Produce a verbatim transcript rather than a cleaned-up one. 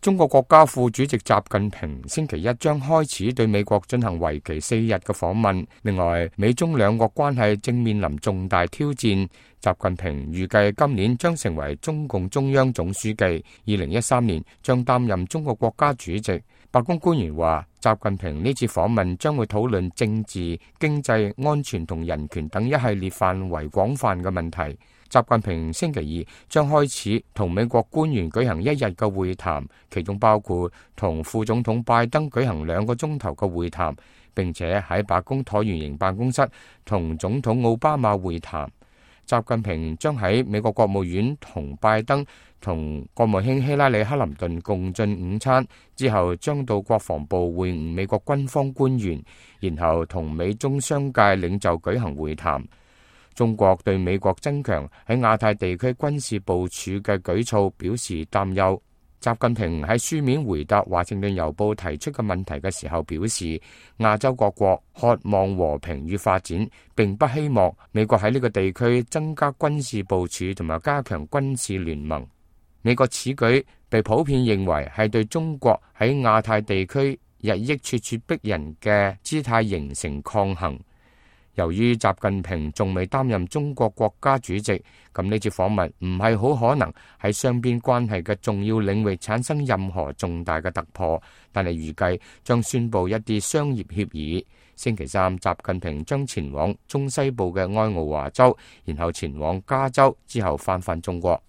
中國國家副主席習近平星期一將開始對美國進行為期四日嘅訪問。另外，美中兩國關係正面臨重大挑戰。習近平預計今年將成為中共中央總書記，二零一三年將擔任中國國家主席。白宮官員話，習近平呢次訪問將會討論政治、經濟、安全同人權等一系列範圍廣泛嘅問題。習近平星期二將開始同美國官員舉行一日嘅會談，其中包括同副總統拜登舉行兩個鐘頭嘅會談，並且喺白宮橢圓形辦公室同總統奧巴馬會談。習近平將喺美國國務院同拜登同國務卿希拉里克林頓共進午餐，之後將到國防部會晤美國軍方官員，然後同美中商界領袖舉行會談。中國對美國增強喺亞太地區軍事部署嘅舉措表示擔憂。習近平喺書面回答華盛頓郵報提出嘅問題嘅時候表示，亞洲各國渴望和平與發展，並不希望美國喺呢個地區增加軍事部署同埋加強軍事聯盟。美國此舉被普遍認為係對中國喺亞太地區日益咄咄逼人嘅姿態形成抗衡。由於習近平仲未擔任中國國家主席，咁呢次訪問唔係好可能喺雙邊關係嘅重要領域產生任何重大嘅突破，但係預計將宣布一啲商業協議。星期三，習近平將前往中西部嘅愛奧華州，然後前往加州，之後返返中國。